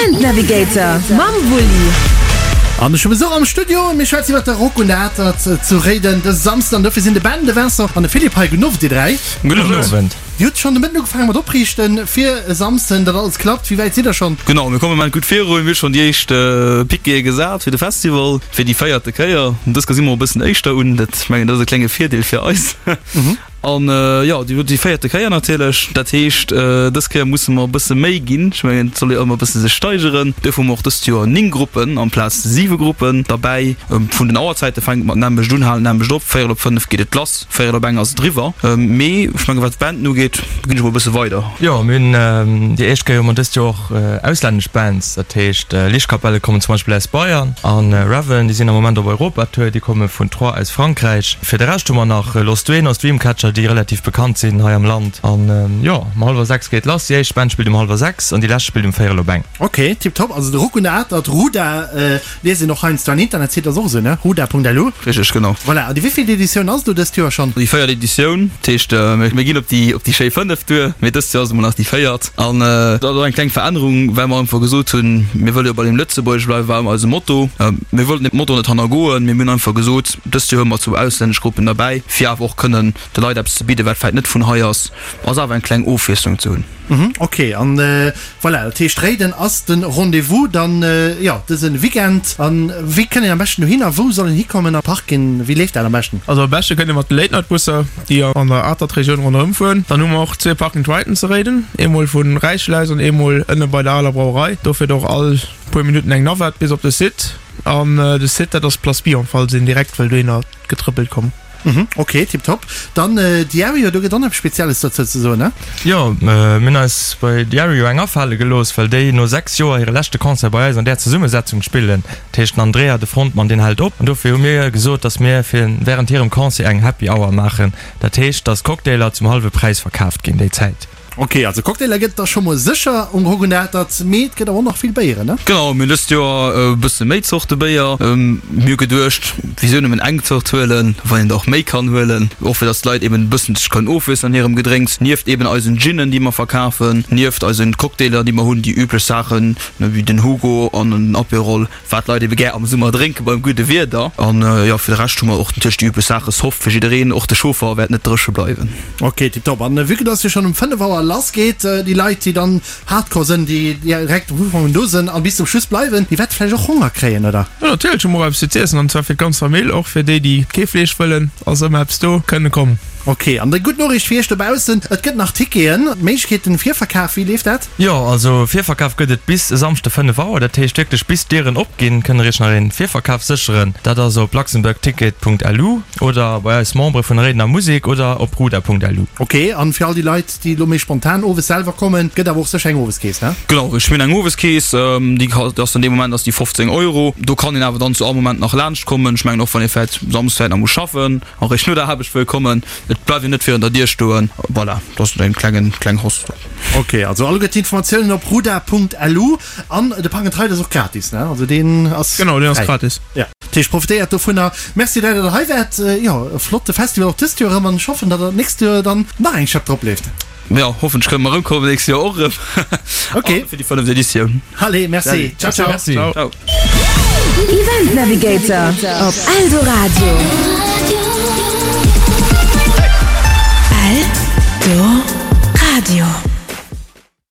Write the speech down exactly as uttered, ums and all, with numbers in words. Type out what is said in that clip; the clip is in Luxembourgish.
Event Navigator mam Wulli. An ech hu Besuch am Studio. Mir schwätzen iwwer de Rock un der Atert zu Réiden dëse Samsden. An dofir sinn de Ben, de Vincent an de Philippe hei. Gudden Owend, dir dräi. Gudden Owend. Dir hutt schonn de Mëtten ugefaange mat opriichten fir e Samsden, datt alles klappt. Wéi wäit sidd der schonn? Genau, mir kommen am Moment gutt virun. Mir hu schonn déi éischt Piquete gesat fir de Festival, fir déi véierte Kéier. Dës Kéier si mer och e bëssen éischter un. Dat, ech mengen, dat ass e klenge Virdeel fir eis. An jo, déi déi véierte Kéier natierlech. Dat heescht, dës Kéier musse mer e bësse méi ginn. Ech mengen, et soll jo ëmmer e bësse sech steigeren. Duerfir hu mer och dëst Joer néng Gruppen amplaz siwe Gruppen derbäi. Vun den Auerzäite fänkt mat nämmlecht un, halen nämmlecht op. Véierel op fënnef geet et lass. Véierel op eng ass et eriwwer. Mee ech mengen, wat d'Banden ugeet, ginn ech mol e bësse weider. Jo, mir hunn déi éischt Kéier hu mer dëst Joer och auslännesch Bands. Dat heescht, Lichtkapelle kommen zum Beispill aus Bayern an Raven, déi sinn am Moment op Europatour, déi komme vun Troyes aus Frankräich. Fir de Rescht hu mer nach Los Duenos, Dreamcatcher, déi relativ bekannt sinn hei am Land. An jo, um hallwer sechs geet lass. Déi éischt Band spillt um hallwer sechs an déi lescht spillt um véierel op eng. Ok, tiptop. Also de Rock un der Atert, Ruda, liest een och heiansdo an Internetsite ass och esou, ne? Ruda.lu. Richteg, genau. Voilà, an déi wéivill Editioun ass et elo dëst Joer schonn? Déi véiert Editioun, dat heescht mir ginn op déi op déi schéi fënnef duer, mee dëst Joer ass et emol nach déi véiert. An dat ass och eng kleng Verännerung, well mer einfach gesot hunn, mir wëlle jo bei dem Lëtzebuergesch bleiwen, war ëmmer eise Motto. Mir wollten dee Motto net hannergoen, mee mir hunn einfach gesot, dëst Joer hu mer zwou auslännesch Gruppen derbäi, fir awer och kënnen de Leit eppes ze bidden, wat vläicht net vun hei ass, ass awer eng kleng Ofwiesslung ze hunn. Mhm, ok, an voilà, dat heescht Réiden ass de Rendez-vous dann, jo, dëse Weekend. An wéi kënnt een am beschten dohin a wou soll een hikommen a Parken, wéi leeft dat am beschten? Also am beschte kënnt ee mat de Late Night Busser, déi an der Atert-Regioun ronderëm fueren. Dann hu mer och zwee Park and Riden zu Réiden, eemol vu Räichel aus an eemol ënne bei der aler Brauerei. Do fiert och all puer Minutten eng Navette bis op de Site. An de Site, dat ass d'Place Bion, falls een direkt wëll dohinner getrëppelt kommen. Mhm, ok, tiptop. Dann Diario, do gëtt och nach eppes Spezielles dozou ze soen, ne? Jo, mir hunn eis bei Diario eng afale gelooss, well déi no sechs Joer hire leschte Concert bei eis an där Zesummesetzung spillen. Dat heescht, den Andrea, de Frontmann, deen hält op. An dofir hu mir gesot, dass mir fir wärend hirem Concert eng Happy Hour maachen. Dat heescht, dass Cocktailer zum hallwe Präis verkaaft ginn déi Zäit. Ok, also Cocktailer gëtt et da scho mol sécher um Rock-un-der-Atert, mee et gëtt awer och nach vill Béieren, ne? Genau, mir hunn dëst Joer e bësse méi Zorte Béier. Mir hu geduecht, wisou nëmmen eng Zort huelen, wann een der och méi kann huelen, och fir dass d'Leit eben e bëssen sech kënnen ofwiesselen an hirem Gedrénks. Nieft eben eisen Ginen, déi mer verkafen, nieft eisen Cocktailer, déi mer hunn, déi üblech Saachen, wéi den Hugo an den Aperol, wat d'Leit ebe gär am Summer drénke beim gudde Wieder. An jo, fir de Rescht hu mer och natierlech déi üblech Saache, Soft fir jiddereen, och de Chauffer wäert net dréche bleiwen. Ok, tiptop. An vue que dass jo schonn um fënnef Auer lass geet, déi Leit déi dann hardcore sënn, déi direkt um Ufank un do sënn an bis zum Schluss bleiwen, déi wäerte vläicht och Honger kréien, oder? Jo, natierlech hu mer och eppes fir z'iessen, an zwar fir d'ganz Famill, och fir déi déi kee Fleesch wëllen, ass ëmmer eppes do, kënne kommen. Ok, an déi gutt Noriicht fir iech dobaussen, et gëtt nach Ticketen, Méiglechkeeten, Virverkaf, wéi leeft dat? Jo, also Virverkaf gëtt et bis e Samschde fënnef Auer, dat heescht wierklech bis d'Dieren opginn, kënnt der iech nach een Virverkaf sécheren. Dat ass op luxembourgticket.lu oder bei eis Membere vun der Réidener Musek oder op ruda.lu. Ok, an fir all déi Leit, déi elo méi spontan owes selwer kommen, gëtt awer och sécher eng Oweskeess, ne? Genau, ech hunn eng Oweskeess, déi ass dann dee Moment ass déi fofzéng Euro. Do kann een awer dann zu all Moment nach laanscht kommen. Ech mengen och wann ee vläit samsdes vläit nach muss schaffen a réischt no der Aarbecht wëll kommen, et bleift een net virun der Dier stoen. Voilà, dat ass en klengen, kleng Host. Ok, also alleguer d'Informatiounen op ruda.lu an de Park and Ride ass och gratis, ne? Also deen ass Genau, deen ass fräi. gratis. Ja, dat heescht profitéiert dovunner. Merci dat der hei waart. Jo, e flotte Festival och dëst Joer erëm an ech hoffen, datt der d'nächst Joer dann nach eng Schëpp drop leeft. Jo, hoffentlech kënne mer erëmkommen d'nächst Joer och erëm. Ok. Fir déi fënneft Editioun. Allez, merci. Ciao, ciao. Merci. Ciao. Event Navigator op Eldoradio. Eldoradio.